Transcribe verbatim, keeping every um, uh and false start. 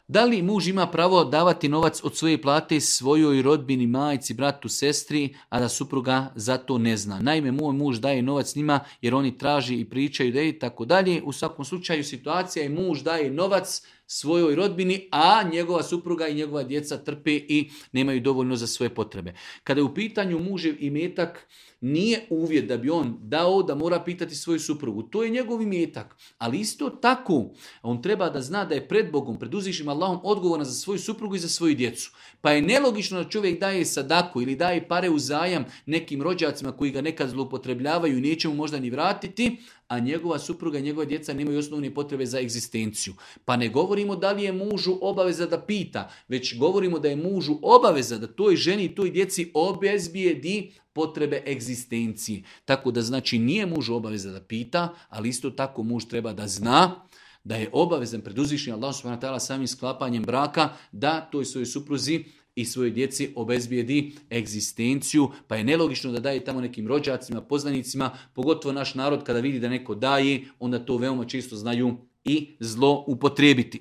Da li muž ima pravo davati novac od svoje plate svojoj rodbini, majci, bratu, sestri, a da supruga za to ne zna? Naime, moj muž daje novac njima jer oni traži i pričaju da je i tako dalje. U svakom slučaju situacija je muž daje novac svojoj rodbini, a njegova supruga i njegova djeca trpe i nemaju dovoljno za svoje potrebe. Kada je u pitanju mužev imetak, nije uvjet da bi on dao da mora pitati svoju suprugu. To je njegov imetak. Ali isto tako, on treba da zna da je pred Bogom, pred uzvišnim Allahom odgovoran za svoju suprugu i za svoju djecu. Pa je nelogično da čovjek daje sadaku ili daje pare u zajam nekim rođacima koji ga nekad zloupotrebljavaju i neće mu možda ni vratiti, a njegova supruga i njegova djeca nemaju osnovne potrebe za egzistenciju. Pa ne govorimo da li je mužu obaveza da pita, već govorimo da je mužu obaveza da toj ženi i toj djeci obezbijedi potrebe egzistencije. Tako da znači nije mužu obaveza da pita, ali isto tako muž treba da zna da je obavezan pred uzvišnim Allahom subhanahu wa ta'ala samim sklapanjem braka da toj svojoj supruzi i svojoj djeci obezbijedi egzistenciju, pa je nelogično da daje tamo nekim rođacima, poznanicima, pogotovo naš narod kada vidi da neko daje, onda to veoma često znaju i zlo upotrijebiti.